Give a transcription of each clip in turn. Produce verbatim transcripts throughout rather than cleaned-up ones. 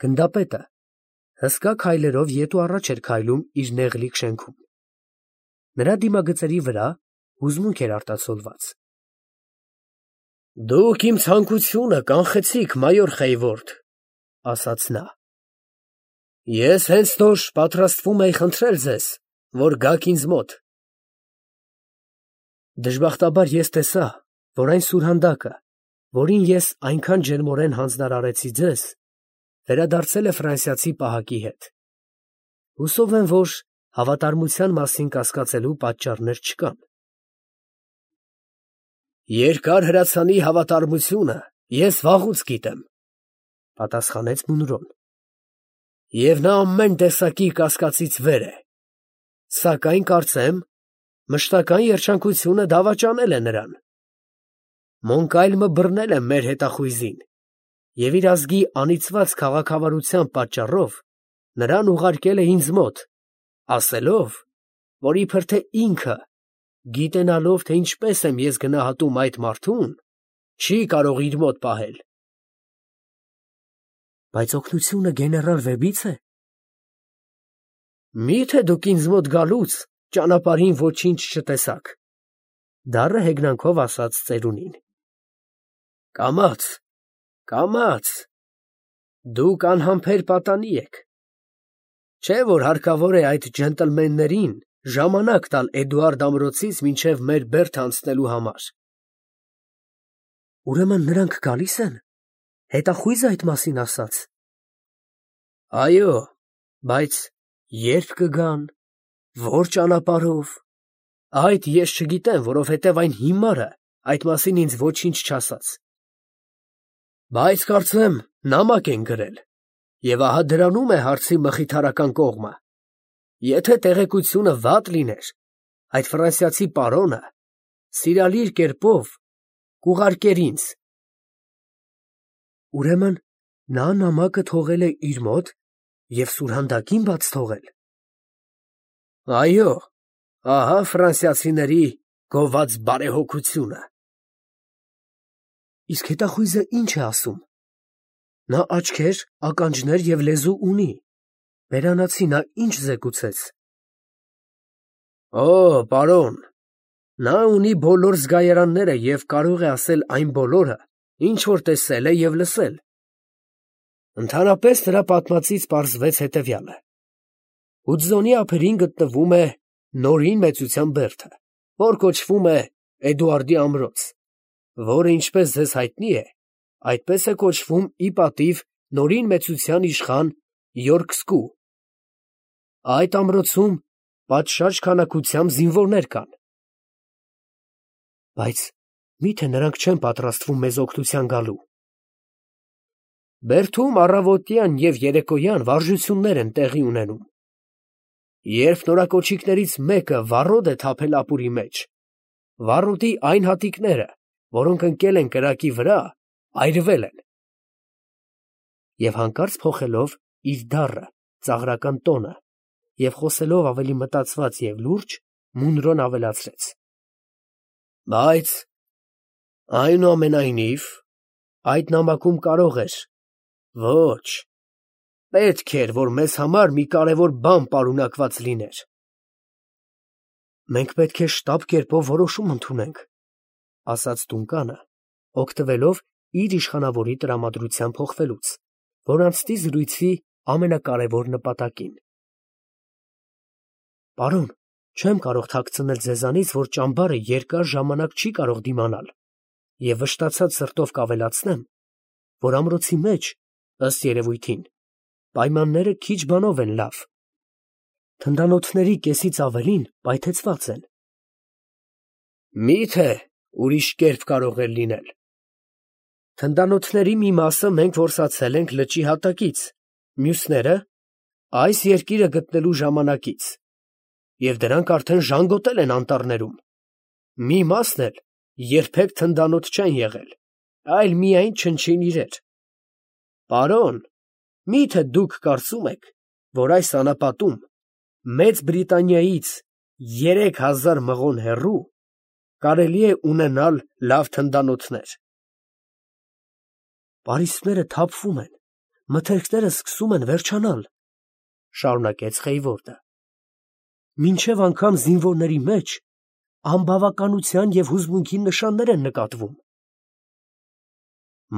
Գնդապետը հսկա քայլերով ետ ու առաջ էր քայլում իր նեղլիկ շենքում. նրա դիմագծերի վրա հուզմունք էր արտացոլված։ Դուք իմ ցանկությունը կանխեցիք, մայոր Խեյվորդ, ասաց նա։ Ես հենց նոր պատրաստվում էի խնդրել ձեզ, որ գաք ինձ մոտ։ Դժբախտաբար ես տեսա, որ այն սուրհանդակը, որին ես այնքան ջերմորեն հանձնարարեցի ձեզ, վերադարձել է ֆրանսիացի պահակի հետ։ Հուսով եմ, որ հավատարմության մասին կասկածելու պատճառներ չկան։ Երկար հրացանի հավատարմությունը ես վաղուց գիտեմ, պատասխանեց Մունրոն, և նա ամեն տեսակի կասկածից վեր է, սակայն կարծեմ, մշտական երջանկությունը դավաճանել է նրան։ Մոնկայլմը բռնել է մեր հետախույզին և իր ազգի անիծված քաղաքավարության պատճառով նրան ուղարկել է ինձ մոտ, ասելով, որ իբր թե ինքը, գիտենալով, թե ինչպես եմ ես գնահատում այդ մարդուն, չի կարող իր մոտ պահել։ Բայց օգնությունը գեներալ Վեբից է։ Մի՞թե դուք ինձ մոտ գալուց ճանապարհին ոչինչ չտեսաք, դառը հեգնանքով ասաց ծերունին։ Կամաց, կամաց, դուք անհամբեր պատանի եք, չէ՞ որ հարկավոր է այդ ջենտլմեններին ժամանակ տալ Էդուարդ ամրոցից մինչև մեր բերդը անցնելու համար։ Ուրեմն նրանք գալի՞ս են, հետախույզը այդ մասին ասաց։ Այո, բայց ե՞րբ կգան, ո՞ր ճանապարհով, այդ ես չգիտեմ, որովհետև այն հիմարը այդ մասին ինձ ոչինչ չասաց։ Բայց կարծեմ նամակ են գրել, և ահա դրանում է հարցի մխիթարական կողմը։ Եթե տեղեկությունը վատ լիներ, այդ ֆրանսիացի պարոնը սիրալիր կերպով կուղարկեր ինձ։ Ուրեմն նա նամակը թողել է իր մոտ և սուրհանդակին բաց թողել։ Այո, ահա ֆրանսիացիների գոված բարեհոգությունը։ Իսկ հետախույզը ի՞նչ է ասում։ Նա աչքեր, ականջներ և լեզու ունի, բերանացի նա ի՞նչ զեկուցեց։ Օ, պարոն, նա ունի բոլոր զգայարանները և կարող է ասել այն բոլորը, ինչ որ տեսել է և լսել։ Ընդհանրապես նրա պատմածից պարզվեց հետևյալը. Հուդզոնի ափերին գտնվում է Նորին մեծության բերդը, որ կոչվում է Էդուարդի ամրոց, որը, ինչպես ձեզ հայտնի է, այդպես է կոչվում ի պատիվ Նորին մեծության իշխան Յորքսկու։ Այդ ամրոցում պատշաճ քանակությամբ զինվորներ կան։ Բայց մի՞թե նրանք չեն պատրաստվում մեզ օգնության գալու։ Բերդում առավոտյան և երեկոյան վարժություններ են տեղի ունենում։ Երբ նորակոչիկներից մեկը վառոդ է թափել ապուրի մեջ, վառոդի այն հատիկները, որոնք ընկել են կրակի վրա, այրվել են։ Եվ հանկարծ փոխելով իր դառը, ծաղրական տոնը և խոսելով ավելի մտածված և լուրջ, Մունրոն ավելացրեց. Բայց այնուամենայնիվ, այդ նամակում կարող էր, ոչ, պետք էր, որ մեզ համար մի կարևոր բան պարունակված լիներ։ Մենք պետք է շտապ կերպով որոշում ընդունենք, ասաց Դունկանը, օգտվելով իր իշխանավորի տրամադրության փոխվելուց, որ անցնի զրույցի ամենակարևոր նպատակին։ Պարոն, չեմ կարող թաքցնել ձեզանից, որ ճամբարը երկար ժամանակ չի կարող դիմանալ, և վշտացած սրտով կավելացնեմ, որ ամրոցի մեջ, ըստ երևույթին, պայմանները քիչ բանով են լավ։ Թնդանոթների կեսից ավելին պայթեցված են։ Մի՞թե ուրիշ կերպ կարող է լինել։ Թնդանոթների մի մասը մենք որսացել ենք լճի հատակից, մյուսները՝ այս երկիրը գտնելու ժամանակից, և դրանք արդեն ժանգոտել են անտառներում։ Մի մասն էլ երբեք թնդանոթ չեն եղել, այլ միայն չնչին իրեր։ Պարոն, մի՞թե դուք կարծում եք, որ այս անապատում, Մեծ Բրիտանիայից երեք հազար մղոն հեռու, կարելի է ունենալ լավ թնդանոթներ։ Պարիսպները թափվում են, մթերքները սկսում են վերջանալ, շարունակեց Խեյվորդը։ Մինչև անգամ զինվորների մեջ անբավականության և հուզմունքի նշաններ են նկատվում։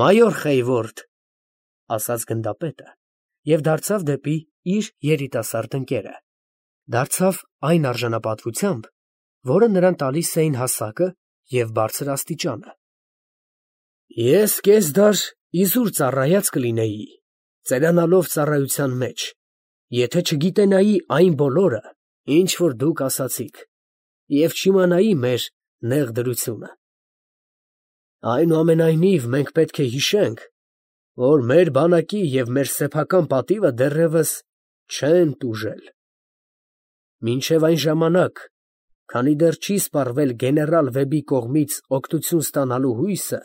Մայոր Խեյվորդ, ասաց գնդապետը և դարձավ դեպի իր երիտասարդ ընկերը, դարձավ այն արժանապատվությամբ, որը նրան տալիս էին հասակը և բարձր աստիճանը։ Ես կեսդար իզուր ծառայած կլինեի, ծերանալով ծառայության մեջ, եթե չգիտենայի այն բոլորը, ինչ որ դուք ասացիք, և չիմանայի մեր նեղ դրությունը։ Այնուամենայնիվ մենք պետք է հիշենք, որ մեր բանակի և մեր սեփական պատիվը դեռևս չեն տուժել։ Մինչև այն ժամանակ, քանի դեռ չի սպառվել գեներալ Վեբի կողմից օգնություն ստանալու հույսը,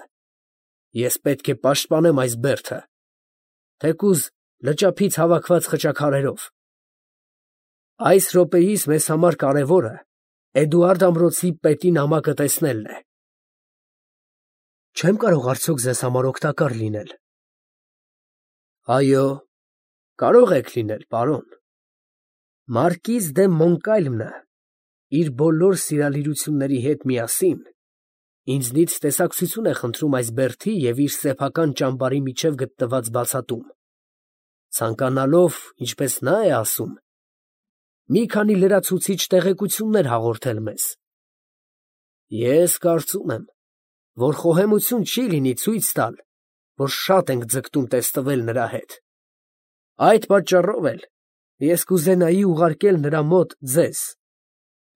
ես պետք է պաշտպանեմ այս բերդը, թեկուզ լճափից հավաքված խճաքարերով։ Այս րոպեիս մեզ համար կարևորը Էդուարդ ամրոցի պետի նամակը տեսնելն է։ Չեմ կարող արդյոք ձեզ համար օգտակար լինել։ Այո, կարող եք լինել, պարոն։ Մարկիզ դե Մոնկալմը իր բոլոր սիրալիրությունների հետ միասին ինձնից տեսակցություն է խնդրում այս բերդի և իր սեփական ճամբարի միջև գտնված բացատում, ցանկանալով, ինչպես նա է ասում, մի քանի լրացուցիչ տեղեկություններ հաղորդել մեզ։ Ես կարծում եմ, որ խոհեմություն չի լինի ցույց տալ, որ շատ ենք ձգտում տեսնվել նրա հետ։ Այդ պատճառով էլ ես կուզենայի ուղարկել նրա մոտ ձեզ,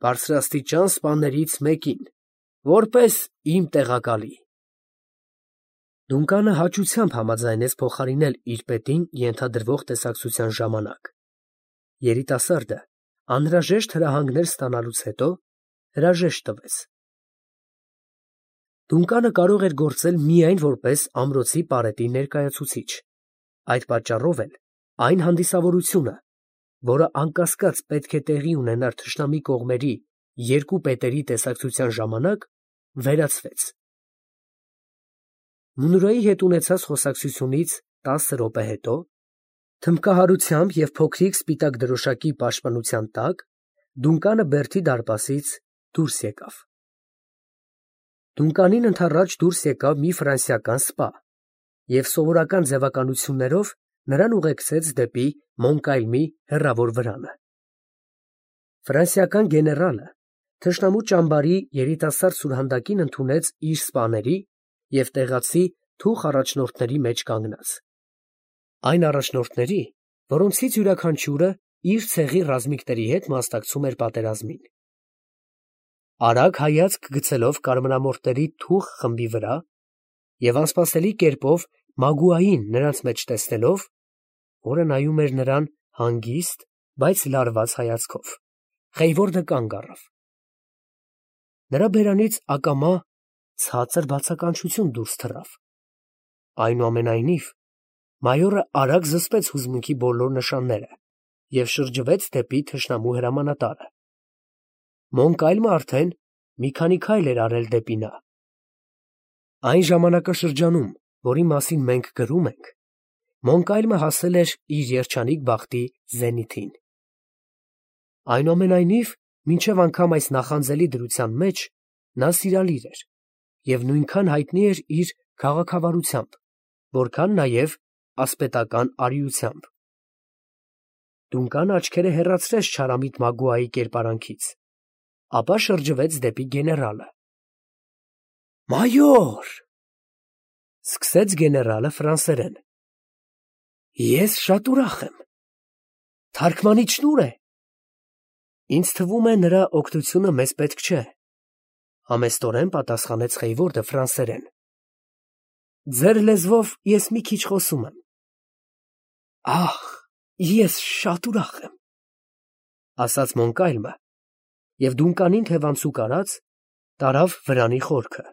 բարձրաստիճան սպաներից մեկին, որպես իմ տեղակալի։ Դունկանը հաճությամբ համաձայնեց փոխարինել իր պետին ենթադրվող տեսակցության ժամանակ։ Երիտասարդը անհրաժեշտ հրահանգներ ստանալուց հետո հրաժեշտ տվեց։ Դունկանը կարող էր գործել միայն որպես ամրոցի պարետի ներկայացուցիչ, այդ պատճառով էլ այն հանդիսավորությունը, որը անկասկած պետք է տեղի ունենար թշնամի կողմերի երկու պետերի տեսակցության ժամանակ, վերացվեց։ Մունրոյի հետ ունեցած խոսակցությունից տասը րոպե հետո, թմբկահարությամբ և փոքրիկ սպիտակ դրոշակի պաշտպանության տակ, Դունկանը բերդի դարպասից դուրս եկավ։ Դունկանին ընդառաջ դուրս եկավ մի ֆրանսիական սպա և սովորական ձևականություններով նրան ուղեկցեց դեպի Մոնկալմի հեռավոր վրանը։ Ֆրանսիական գեներալը թշնամու ճամբարի երիտասարդ սուրհանդակին ընդունեց իր սպաների և տեղացի թուխ առաջնորդների մեջ կանգնած։ Այն առաջնորդների, որոնցից յուրաքանչյուրը իր ցեղի ռազմիկների հետ մասնակցում էր պատերազմին։ Արագ հայացք գցելով կարմրամորթերի թուխ խմբի վրա և անսպասելի կերպով Մագուային նրանց մեջ տեսնելով, որը նայում էր նրան հանգիստ, բայց լարված հայացքով, Խեյվորդը կանգ առավ։ Նրա բերանից ակամա ցածր բացականչություն դուրս թռավ։ Այնուամենայնիվ, մայորը արագ զսպեց հուզմունքի բոլոր նշանները և շրջվեց դեպի թշնամու հրամանատարը։ Մոնկալմը արդեն մի քանի քայլ էր արել դեպի նա։ Այն ժամանակաշրջանում, որի մասին մենք գրում ենք, Մոնկալմը հասել էր իր երջանիկ բախտի զենիթին։ Այնուամենայնիվ, մինչև անգամ այս նախանձելի դրության մեջ նա սիրալիր էր և նույնքան հայտնի էր իր քաղաքավարությամբ, որքան նաև ասպետական արիությամբ։ Դունկանը աչքերը հեռացրեց չարամիտ Մագուայի կերպարանքից, ապա շրջվեց դեպի գեներալը։ Մայոր, սկսեց գեներալը ֆրանսերեն, ես շատ ուրախ եմ։ Թարգմանիչ ո՞ւր է։ Ինձ թվում է, նրա օգնությունը մեզ պետք չէ, համեստորեն պատասխանեց Խեյվորդը ֆրանսերեն։ Ձեր լեզվով ես մի քիչ խոսում եմ։ Ահ, ես շատ ուրախ եմ, ասաց Մոնկալմը և Դունկանին թևանցուկ արած, տարավ վրանի խորքը,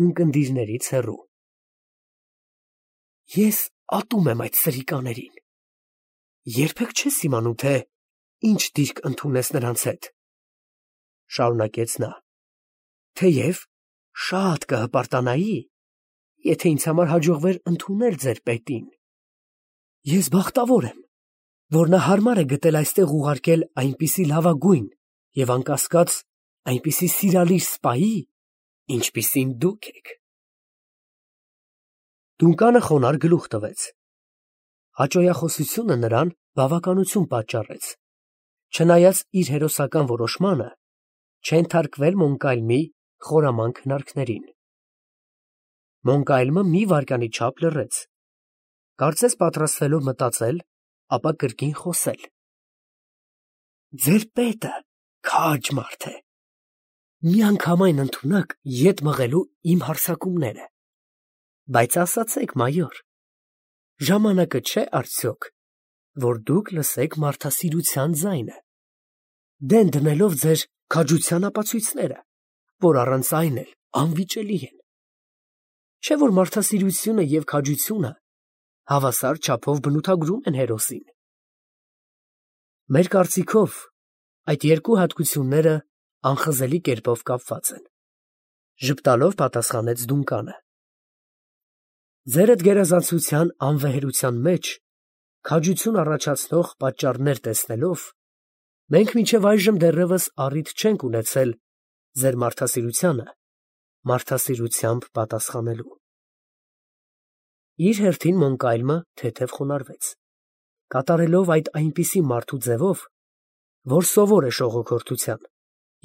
ունկնդիրներից հեռու։ Ես ատում եմ այդ սրիկաներին։ Երբեք չես իմանում, թե ինչ դիրք ընդունես նրանց հետ, շարունակեց նա, թեև շատ կհպարտանայի, եթե ինձ համար հաջողվեր ընդունել ձեր պետին, Ես բախտավոր եմ, որ նա հարմար է գտել այստեղ ուղարկել այնպիսի լավագույն և անկասկած այնպիսի սիրալիր սպայի, ինչպիսին դուք եք։ Դունկանը խոնարհ գլուխ տվեց։ Հաճոյախոսությունը նրան բավականություն պատճառեց, չնայած իր հերոսական որոշմանը չենթարկվել Մոնկալմի խորամանկ հնարքներին։ Մոնկալմը մի վայրկյանի չափ լռեց, կարծես պատրաստվելով մտածել, ապա կրկին խոսել. Ձեր պետը քաջ մարդ է, միանգամայն ընդունակ ետ մղելու իմ հարձակումները, բայց ասացեք, մայոր, ժամանակը չէ արդյոք, որ դուք լսեք մարդասիրության ձայնը, դեն դնելով ձեր քաջության ապացույցները, որ առանց այն էլ անվիճելի են, չէ՞ որ մարդասիրությունը և քաջությունը հավասար չափով բնութագրում են հերոսին։ Մեր կարծիքով այդ երկու հատկությունները անխզելի կերպով կապված են, ժպտալով պատասխանեց Դունկանը։ Ձերդ գերազանցության անվեհերության մեջ քաջություն առաջացնող պատճառներ տեսնելով, մենք մինչև այժմ դեռևս առիթ չենք ունեցել ձեր մարդասիրությանը մարդասիրությամբ պատասխանելու։ Իր հերթին Մոնկալմը թեթև խոնարհվեց, կատարելով այդ այնպիսի մարդու ձևով, որ սովոր է շողոքորթության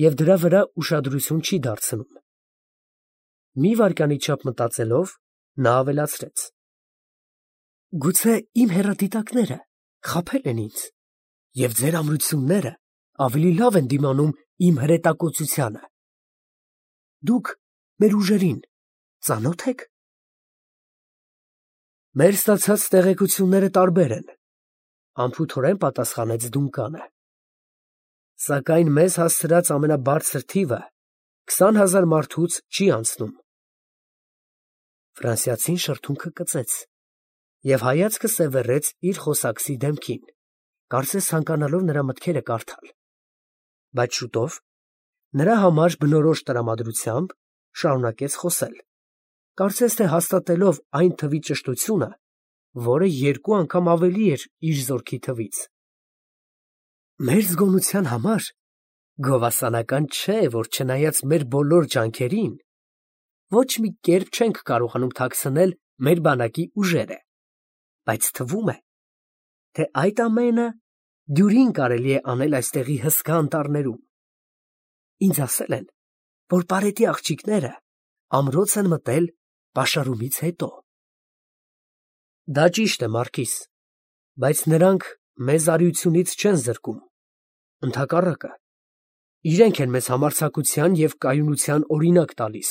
և դրա վրա ուշադրություն չի դարձնում։ Մի վայրկյանի չափ մտածելով, նա ավելացրեց. Գուցե իմ հեռադիտակները խաբել են ինձ, և ձեր ամրությունները ավելի լավ են դիմանում իմ հրետակոծությանը։ Դուք մեր ուժերին ծանո՞թ եք։ Մեր ստացած տեղեկությունները տարբեր են, անփութորեն պատասխանեց Դունկանը։ Սակայն մեզ հասցրած ամենաբարձր թիվը քսան հազար մարդուց չի անցնում։ Ֆրանսիացին շրթունքը կծեց և հայացքը սևեռեց իր խոսակցի դեմքին, կարծես ցանկանալով նրա մտքերը կարդալ, բայց շուտով նրա համար բնորոշ տրամադրությամբ շարունակեց խոսել, կարծես թե հաստատելով այն թվի ճշտությունը, որը երկու անգամ ավելի էր իր զորքի թվից։ Մեր զգոնության համար գովասանական չէ, որ չնայած մեր բոլոր ջանքերին, ոչ մի կերպ չենք կարողանում թաքցնել մեր բանակի ուժերը, բայց թվում է, թե այդ ամենը դյուրին կարելի է անել այստեղի հսկա անտառներում։ Ինձ ասել են, որ պարետի աղջիկները ամրոց են մտել պաշարումից հետո։ Դա ճիշտ է, Մարկիս, բայց նրանք մեզ արիությունից չեն զրկում, ընդհակառակը, իրենք են մեզ համարձակության և կայունության օրինակ տալիս։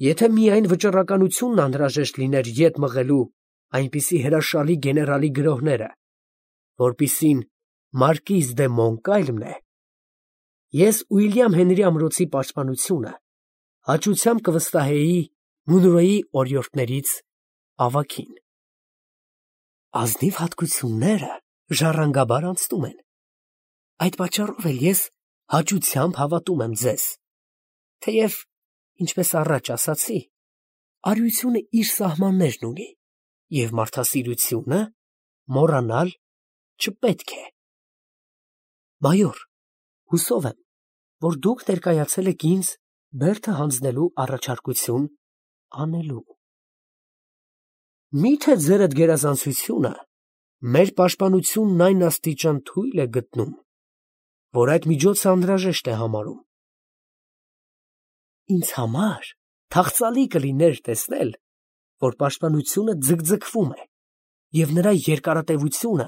Եթե միայն վճռականությունն անհրաժեշտ լիներ ետ մղելու այնպիսի հրաշալի գեներալի գրոհները, որպիսին Մարկիզ դե Մոնկալմն է, ես Ուիլյամ Հենրի ամրոցի պաշտպանությունը հաճությամբ կվստահեի Մունրոյի օրիորդներից ավագին։ Ազնիվ հատկությունները ժառանգաբար անցնում են, այդ պատճառով էլ ես հաճությամբ հավատում եմ ձեզ, թեև, ինչպես առաջ ասացի, արիությունը իր սահմաններն ունի, և մարդասիրությունը մոռանալ չպետք է։ Մայոր, հուսով եմ, որ դուք ներկայացել եք ինձ բերդը հանձնելու առաջարկություն անելու։ Մի՞թե ձերդ գերազանցությունը մեր պաշտպանությունն այն աստիճան թույլ է գտնում, որ այդ միջոցը անհրաժեշտ է համարում։ Ինձ համար թախծալի կլիներ տեսնել, որ պաշտպանությունը ձգձգվում է, և նրա երկարատևությունը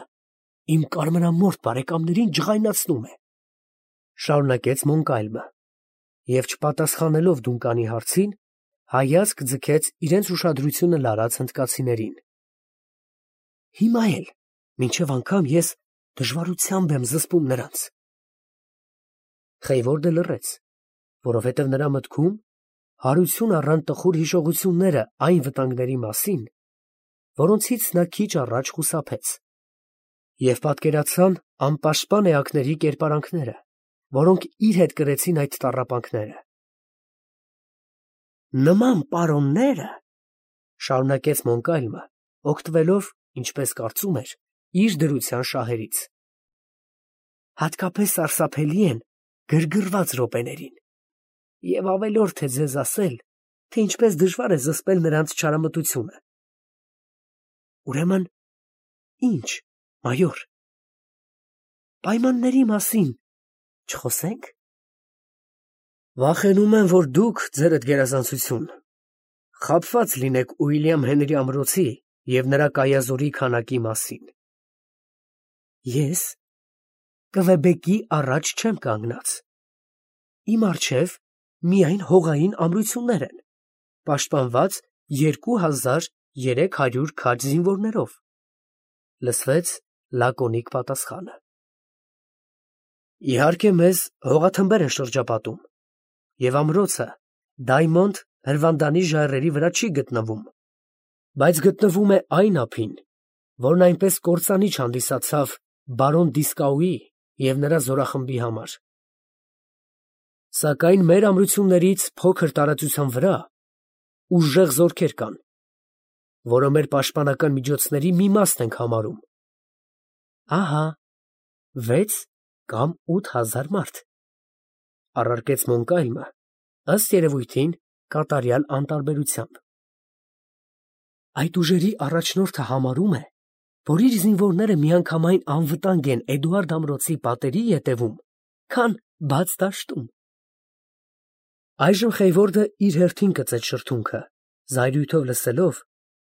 իմ կարմրամորթ բարեկամներին ջղայնացնում է, շարունակեց Մոնկալմը, և չպատասխանելով Դունկանի հարցին, հայացք ձգեց իրենց ուշադրությունը լարած հնդկացիներին։ Հիմա էլ, մինչև անգամ ես դժվարությամբ եմ զսպում նրանց։ Խեյվորդը լռեց, որովհետև նրա մտքում հարություն առան տխուր հիշողությունները այն վտանգների մասին, որոնցից նա քիչ առաջ խուսափեց, և պատկերացան անպաշտպան էակների կերպարանքները, որոնք իր հետ կրեցին այդ տառապանքները։ Նման պարոնները, շարունակեց Մոնկալմը, օգտվելով, ինչպես կարծում էր, իր դրության շահերից։ Հատկապես սարսափելի են գրգռված րոպեներին, և ավելորդ է ձեզ ասել, թե ինչպես դժվար է զսպել նրանց չարամտությունը։ Ուրեմն, ի՞նչ, մայոր, պայմանների մասին չխոսե՞նք։ Վախենում եմ, որ դուք, ձերդ գերազանցություն, խաբված լինեք Ուիլյամ Հենրի ամրոցի և նրա կայազորի քանակի մասին։ Ես Կվեբեկի առաջ չեմ կանգնած։ Իմ առջև միայն հողային ամրություններ են, պաշտպանված երկու հազար երեք հարյուր քաջ զինվորներով, լսվեց լակոնիկ պատասխանը։ Իհարկե, մեզ հողաթմբեր են շրջապատում, և ամրոցը Դայմոնդ հրվանդանի ժայռերի վրա չի գտնվում, բայց գտնվում է այն ափին, որն այնպես կործանիչ հանդիսացավ բարոն Դիսկաուի և նրա զորախմբի համար։ Սակայն մեր ամրություններից փոքր տարածության վրա ուժեղ զորքեր կան, որը մեր պաշտպանական միջոցների մի մասն ենք համարում։ Ահա, վեց կամ ութ հազար մարդ, առարկեց Մոնկալմը, ըստ երևույթին, կատարյալ անտարբերությամբ։ Այդ ուժերի առաջնորդը համարում է, որ իր զինվորները միանգամայն անվտանգ են Էդուարդ ամրոցի պատերի ետևում, քան բաց դաշտում։ Այժմ Խեյվորդը իր հերթին կծեց շրթունքը, զայրույթով լսելով,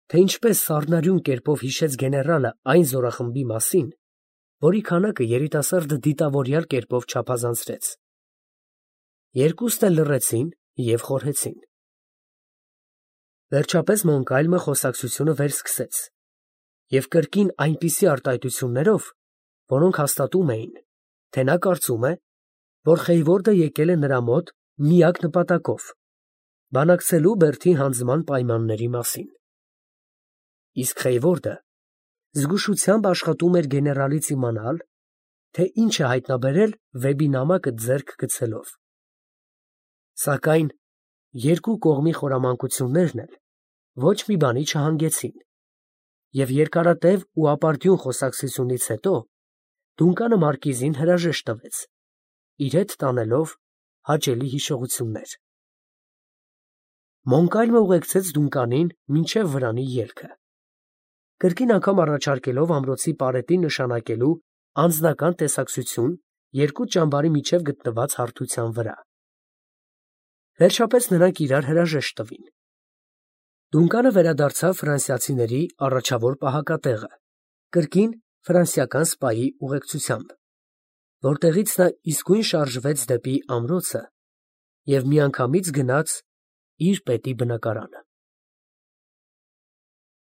թե ինչպես սառնարյուն կերպով հիշեց գեներալը այն զորախմբի մասին, որի քանակը երիտասարդը դիտավորյալ կերպով չափազանցրեց։ Երկուսն էլ լռեցին և խորհեցին։ Վերջապես Մոնկալմը խոսակցությունը վերսկսեց և կրկին այնպիսի արտահայտություններով, որոնք հաստատում էին, թե նա կարծում է, որ Խեյվորդը եկել է նրա մոտ միակ նպատակով՝ բանակցելու բերդի հանձնման պայմանների մասին։ Իսկ Խեյվորդը զգուշությամբ աշխատում էր գեներալից իմանալ, թե ինչ է հայտնաբերել Վեբի նամակը ձեռք գցելով։ Սակայն երկու կողմի խորամանկություններն էլ ոչ մի բանի չհանգեցին, և երկարատև ու ապարդյուն խոսակցությունից հետո Դունկանը մարկիզին հրաժեշտ տվեց, իր հետ տանելով հաճելի հիշողություններ։ Մոնկալմը ուղեկցեց Դունկանին մինչև վրանի ելքը, կրկին անգամ առաջարկելով ամրոցի պարետին նշանակելու անձնական տեսակցություն երկու ճամբարի միջև գտնված հարթության վրա։ Վերջապես նրանք իրար հրաժեշտ տվին։ Դունկանը վերադարձավ ֆրանսիացիների առաջավոր պահակատեղը, կրկին ֆրանսիական սպայի ուղեկցությամբ, որտեղից նա իսկույն շարժվեց դեպի ամրոցը և միանգամից գնաց իր պետի բնակարանը։